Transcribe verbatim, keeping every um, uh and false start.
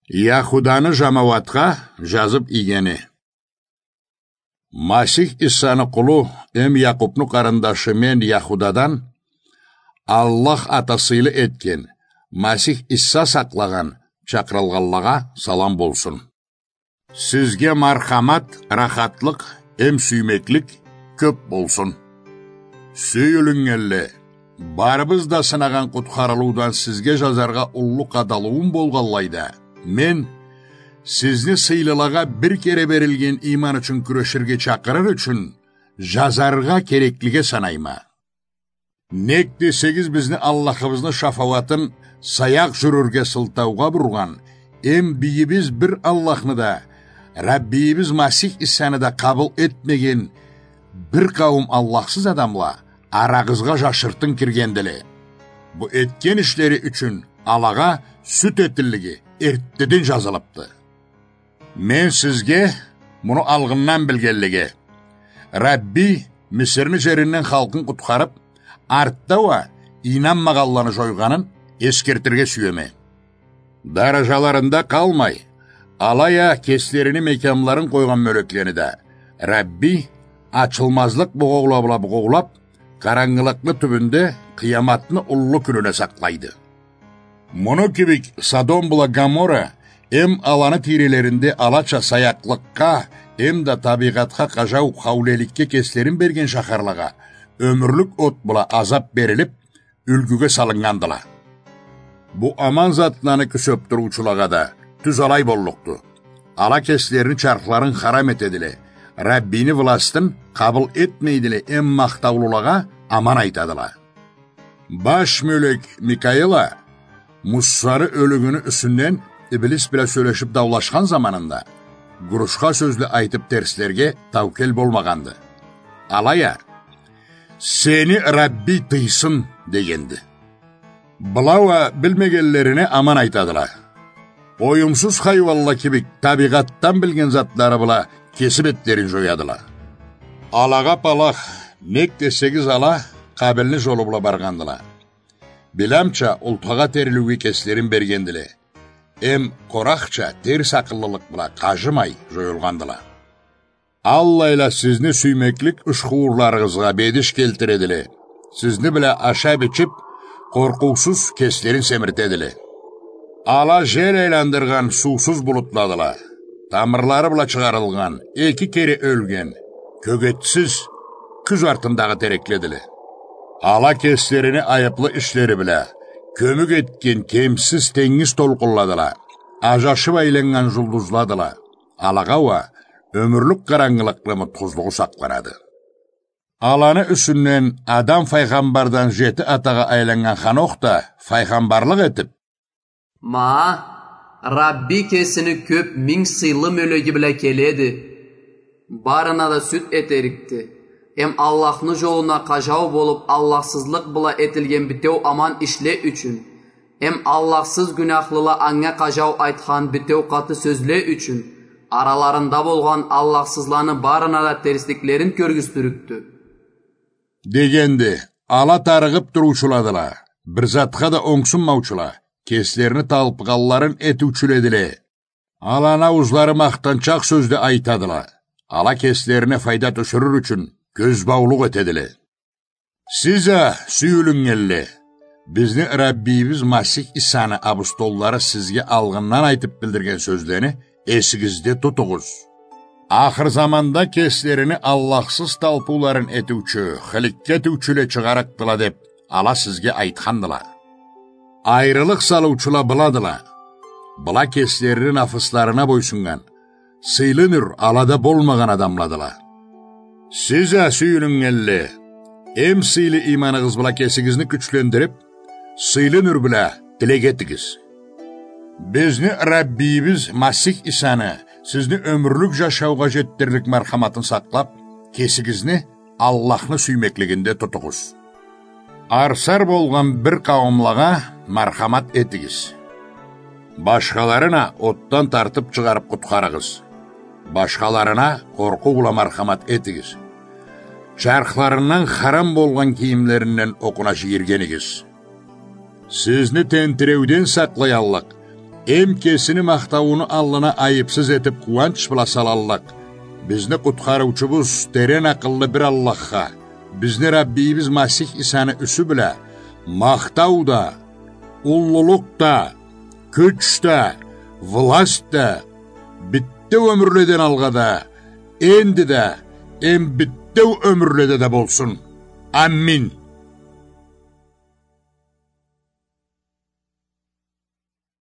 Яхуданы жамауатха жазып ийгени. Масих Иссаны къулу эм Якъубну къарындашы мен Яхудадан, Аллах ата сыйлы этген, Масих Исса сакълагъан чакъырылгъанлагъа салам болсун. Сизге мархамат, рахатлыкъ эм сюймеклик кёп болсун. Сюйюлюннгенле, барыбыз да сынагъан къутхарылыудан сизге жазаргъа уллу къадалыуум болгъанлай да, мен сизни сыйлылагъа бир кере берилген ийман ючюн кюреширге чакъырыр ючюн жазаргъа кереклиге санайма. Нек десегиз, бизни Аллахыбызны шафауатын саякъ жюрюрге сылтаугъа бургъан, эм бийибиз бир Аллахны да, Раббийибиз Масих Иссаны да къабыл этмеген бир къауум Аллахсыз адамла арагъызгъа жашыртын киргендиле. Бу этген ишлери ючюн алагъа сюд этиллиги эртдеден жазылыпды. Мен сизге муну алгъындан билгенлеге, Рабби Мисирни жеринден халкъын къутхарып, артда уа ийнанмагъанланы жойгъанын эсгертирге сюеме. Даражаларында къалмай, алай а кеслерини мекямларын къойгъан мёлеклени да Рабби ачылмазлыкъ бугъоула бла бугъоулап, къарангылыкъны тюбюнде къыяматны уллу кюнюне сакълайды. Муну кибик Содом бла Гоморра эм аланы тийрелеринде алача саякълыкъгъа эм да табийгъатха къажау хаулеликге кеслерин берген шахарлагъа ёмюрлюк от бла азап берилип, юлгюге салыннгандыла. Бу аман затланы кюсеп туруучулагъа да тюз алай боллукъду. Ала кеслерини чархларын харам этедиле, Раббини властын къабыл этмейдиле эм махтаулулагъа аман айтадыла. Баш мёлек Микаил а Муссаны ёлюгюню юсюнден иблис бла сёлешип даулашхан заманында, гурушха сёзле айтып терслерге таукел болмагъанды. Алай а, «Сени Рабби тыйсын», — дегенди. Была уа билмегенлерине аман айтадыла. Оюмсуз хайуанла кибик табийгъатдан билген затлары бла кеси бетлерин жоядыла. Алагъа палах, нек десегиз, ала Къабилни жолу бла баргъандыла. Биламча, ултхагъа терилиуге кеслерин бергендиле. Эм Къорахча терс акъыллылыкъ бла къажымай жоюлгъандыла. Аллайла сизни сюймеклик ушхуурларыгъызгъа бедиш келтиредиле. Сизни бла ашап-ичип, къоркъуусуз кеслерин семиртедиле. Ала жел айландыргъан суусуз булутладыла. Тамырлары бла чыгъарылгъан, эки кере ёлген, кёгетсиз, кюз артындагъы терекледиле. Ала кеслерини айыплы ишлери бла кёмюк этген кемсиз тенгиз толкъунладыла, ажашып айланнган жулдузладыла. Алагъа уа ёмюрлюк къарангылыкъны мутхузлугъу сакъланады. Аланы юсюнден Адам файгъамбардан жети атагъа айланнган Ханох да файгъамбарлыкъ этип: «Ма, Рабби кесини кёп минг сыйлы мёлеги бла келеди. Барына да сюд этерикди. Эм Аллахны жолуна къажау болуп, Аллахсызлыкъ бла этилген битеу аман ишле ючюн, эм Аллахсыз гюнахлыла анга къажау айтхан битеу къаты сёзле ючюн, араларында болгъан Аллахсызланы барына да терсликлерин кёргюзтюрюкдю», — дегенди. Ала тарыгъып туруучуладыла, бир затха да онгсунмаучула, кеслерини талпыгъанларын этиучюледиле. Аланы ауузлары махтанчакъ сёзле айтадыла. Ала кеслерине файда тюшюрюр ючюн кёзбаулукъ этедиле. Сиз а, сюйюлюннгенле, бизни Раббийибиз Масих Исаны абустоллары сизге алгъындан айтып билдирген сёзлени эсигизде тутугъуз. Ахыр заманда кеслерини Аллахсыз талпыуларын этиучю, хыликке этиучюле чыгъарыкъдыла деп, ала сизге айтхандыла. Айрылыкъ салыучула быладыла. Была кеслерини нафысларына бойсуннган, сыйлы нюр алада болмагъан адамладыла. Сиз а, сюйюлюннгенле, эм сыйлы ийманыгъыз бла кесигизни кючлендирип, сыйлы нюр бла тилек этигиз. Бизни Раббийибиз Масих Исаны сизни ёмюрлюк жашаугъа жетдирлик мархаматын сакълап, кесигизни Аллахны сюймеклигинде тутугъуз. Арсар болгъан бир къауумлагъа мархамат этигиз. Башхаларын а отдан тартып чыгъарып къутхарыгъыз. Башхаларына къоркъуу бла мархамат этигиз. Чархларындан харам болгъан кийимлеринден окъуна жийиргенигиз. Сизни тентиреуден сакълаяллыкъ эм кесини махтаууну аллына айыпсыз этип къууанч бла салаллыкъ, бизни Къутхарыучубуз терен акъыллы бир Аллахха, бизни Раббийибиз Масих Исаны юсю бла, махтау да, уллулукъ да, кюч да, власть да, битеу ёмюрледен алгъа да, энди да, эм битеу ёмюрледе да болсун. Амин.